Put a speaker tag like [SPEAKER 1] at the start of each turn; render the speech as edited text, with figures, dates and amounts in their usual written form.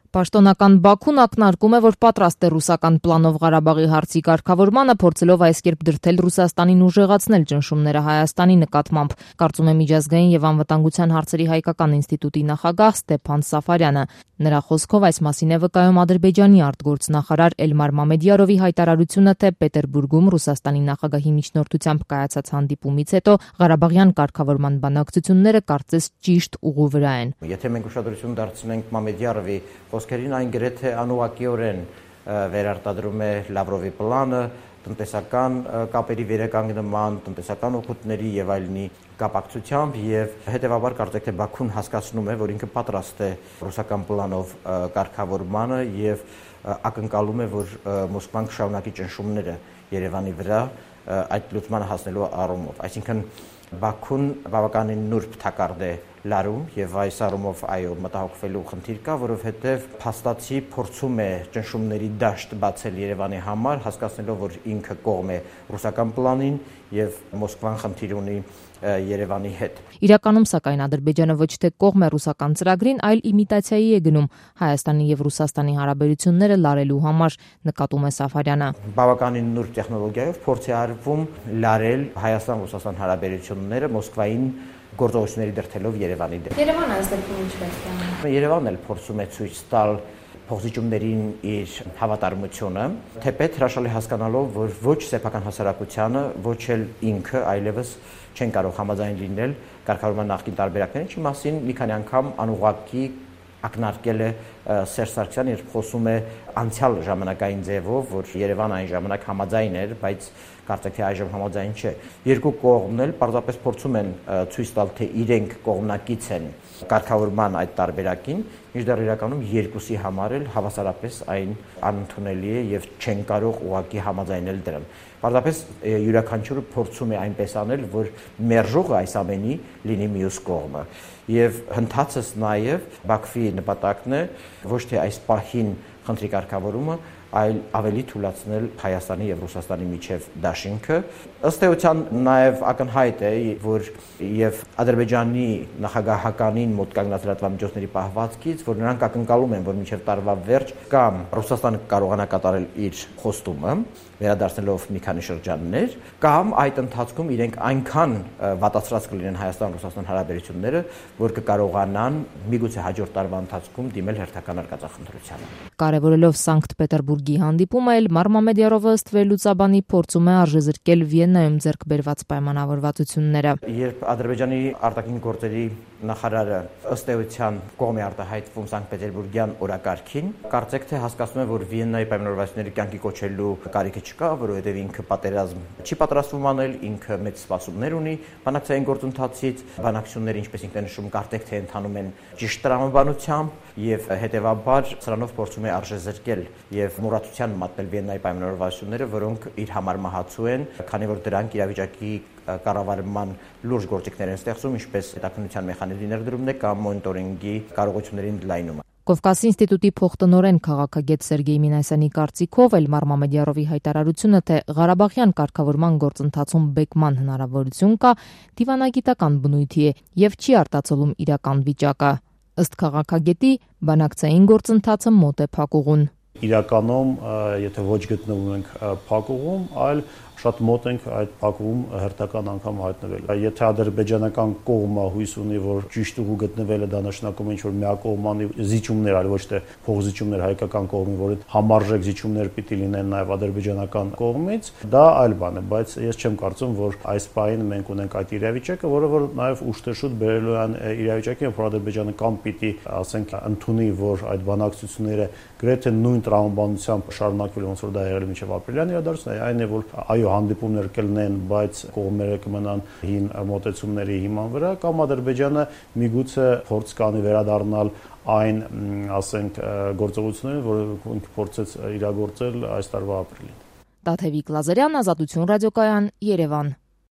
[SPEAKER 1] Պաշտոնական Բաքուն ակնարկում է, որ պատրաստ է ռուսական պլանով Ղարաբաղի հարցի կարգավորմանը, փորձելով այս կերպ դրդել Ռուսաստանին ուժեղացնել ճնշումները Հայաստանի նկատմամբ, կարծում է Միջազգային եւ անվտանգության հարցերի հայկական ինստիտուտի նախագահ Ստեփան Սաֆարյանը։ Նրա խոսքով այս մասին է վկայում Ադրբեջանի արտգործնախարար Էլմար Մամեդյարովի հայտարարությունը, թե Պետերբուրգում Ռուսաստանի նախագահի միջնորդությամբ կայացած հանդիպումից հետո Ղարաբաղյան կարգավորման բանակցությունները կարծես ճիշտ ուղու վրա են։
[SPEAKER 2] Եթե մենք ուշադրություն դարձնենք Մամեդյարովի խոսքերին, այն գրեթե անուղղակիորեն վերարտադրում է Լավրովի պլանը, տնտեսական կապերի վերականգնման, տնտեսական օգուտների եւ այլնի կապակցությամբ եւ հետեւաբար կարծեք թե Բաքուն հասկացնում է, որ ինքը պատրաստ է ռուսական պլանով կարգավորմանը եւ ակնկալում է, որ Մոսկվան կշարունակի ճնշումները Երևանի վրա այդ լուծմանը հասնելու առումով։ Այսինքն Բաքուն բավականին նուրբ թակարդ է լարում եւ այս առումով այո մտահոգվելու խնդիր կա, որովհետեւ փաստացի փորձում է ճնշումների դաշտ բացել Երևանի համար, հասկացնելով, որ ինքը կողմ է ռուսական պլանին եւ Մոսկվան խնդիր ունի Երևանի հետ։
[SPEAKER 1] Իրականում, սակայն, Ադրբեջանը ոչ թե կողմ է ռուսական ծրագրին, այլ իմիտացիայի է գնում Հայաստանի եւ Ռուսաստանի հարաբերությունները լարելու համար, նկատում է Սաֆարյանը։
[SPEAKER 2] Բավականին նուրբ տեխնոլոգիայով փորձ է արվում լարել Հայաստան-Ռուսաստան հարաբերությունները Մոսկվային գործողությունների դրդելով Երևանի դեմ։
[SPEAKER 1] Երևանը այս դեպքում ինչ պետք է անի։
[SPEAKER 2] Երևանն էլ փորձում է ցույց տալ փոխզիջումներին իր հավատարմությունը, թեպետ հրաշալի հասկանալով, որ ոչ սեփական հասարակությանը, ոչ էլ ինքը այլևս չեն կարող համաձայն լինել կարգավորման նախկին տարբերակներին, ինչի մասին մի քանի անգամ անուղղակի ակնարկել է Սերժ Սարգսյանը, երբ խոսում է անցյալ ժամանակային ձևով, որ Երևանը այն ժամանակ համաձայն էր, բայց կարծեք թե այժմ համաձայն չէ։ Երկու կողմն էլ պարզապես փորձում են ցույց տալ, թե իրենք կողմնակից են կարգավորման այդ տարբերակին, մինչդեռ իրականում երկուսի համար էլ հավասարապես այն անընդունելի է եւ չեն կարող ուղղակի համաձայնել դրան։ Պարզապես յուրաքանչյուրը փորձում է այնպես անել, որ մերժողը այս ամենի լինի մյուս կողմը։ Եվ հնդածս նաեւ Բաքվի նպատակն է ոչ թե այս պահին խնդրի կարգավորումը, այլ ավելի թույլատրել Հայաստանի եւ Ռուսաստանի միջև դաշինքը։ Ըստ էության նաեւ ակնհայտ է, որ եւ Ադրբեջանի նախագահականին մոտ կանգնած լրատվամիջոցների պահվածքից, որ նրանք ակնկալում են, որ մինչև տարվա վերջ կամ Ռուսաստանը կարողանա կատարել իր խոստումը, վերադարձնելով մի քանի շրջաններ, կամ այդ ընթացքում իրենք այնքան վատացրած կլինեն Հայաստան-Ռուսաստան հարաբերությունները, որ կկարողանան միգուցե հաջորդ տարվա ընթացքում դիմել հերթական արկածախնդրությանը։
[SPEAKER 1] Կարևորելով Սանկտ Պետերբուրգի հանդիպումը, Էլմար Մամեդյարովը ըստ վերլուծաբանի փորձում է արժեզրկել Վիեննայում ձեռք բերված պայմանավորվածությունները։
[SPEAKER 2] Երբ Ադրբեջանի արտաքին գործերի նախարարը ըստ էության կողմ է արտահայտվում Սանկտ Պետերբուրգյան օրակարգին, կարծեք թե հասկացնում է, որ Վիեննայի պայմանավորվածությունները կյանքի կոչելու կարիքը չկա, որովհետև ինքը պատերազմ չի պատրաստվում անել, ինքը մեծ սպասումներ ունի բանակցային գործընթացից, բանակցությունները, ինչպես ինքն է նշում, կարծեք թե ընթանում են ճիշտ տրամաբանությամբ եւ հետեւաբար սրանով փորձում է արժեզրկել եւ մոռացության մատնել Վիեննայի պայմանավորվածությունները, որոնք իր համար մահացու են, քանի որ դրանք իրավիճակի կառավարման լուրջ գործիքներ են ստեղծում, ինչպես հետաքննության մեխանիզմի ներդրումն է կամ մոնիտորինգի կարողությունների ընդլայնումը։
[SPEAKER 1] Կովկասի ինստիտուտի փոխտնօրեն քաղաքագետ Սերգեյ Մինասյանի կարծիքով Էլմար Մամեդյարովի հայտարարությունը, թե Ղարաբաղյան կարգավորման գործընթացում բեկման հնարավորություն կա, դիվանագիտական բնույթի է եւ չի արտացոլում իրական վիճակը։ Ըստ քաղաքագետի, բանակցային գործընթացը մոտ է փակուղուն։
[SPEAKER 3] Իրականում, եթե ոչ գտնվում ենք փակուղում, այլ շատ մոտ ենք այդ փակուղում հերթական անգամ հայտնվել։ Եթե ադրբեջանական կողմը հույս ունի, որ ճիշտ ուղու գտնվելը դա նշանակում է ինչ-որ միակողմանի զիջումներ, այլ ոչ թե փոխզիջումներ հայկական կողմի, որ համարժեք զիջումներ պիտի լինեն նաև ադրբեջանական կողմից, դա այլ բան է, բայց ես չեմ կարծում, որ այս պահին մենք ունենք այդ իրավիճակը, որը որ նաև ուշ-թե-շուտ բերելու են իրավիճակին, որ Ադրբեջանը կամ պիտի, ասենք, ընդունի, որ այդ բանակցությունները գրեթե նույն տրամաբանությամբ շարունակվելու ոնց որ դա եղել է մինչև ապրիլյան իրադարձությունները, այն է, որ այո հանդիպումներ կլինեն, բայց կողմերը կմնան հին մոտեցումների հիման վրա, կամ Ադրբեջանը միգուցե փորձ կանի վերադառնալ այն, ասենք, գործողություններին, որ ինքը փորձեց իրագործել այս տարվա ապրիլին։
[SPEAKER 1] Տաթևիկ Լազարյան, Ազատություն ռադիոկայան, Երևան։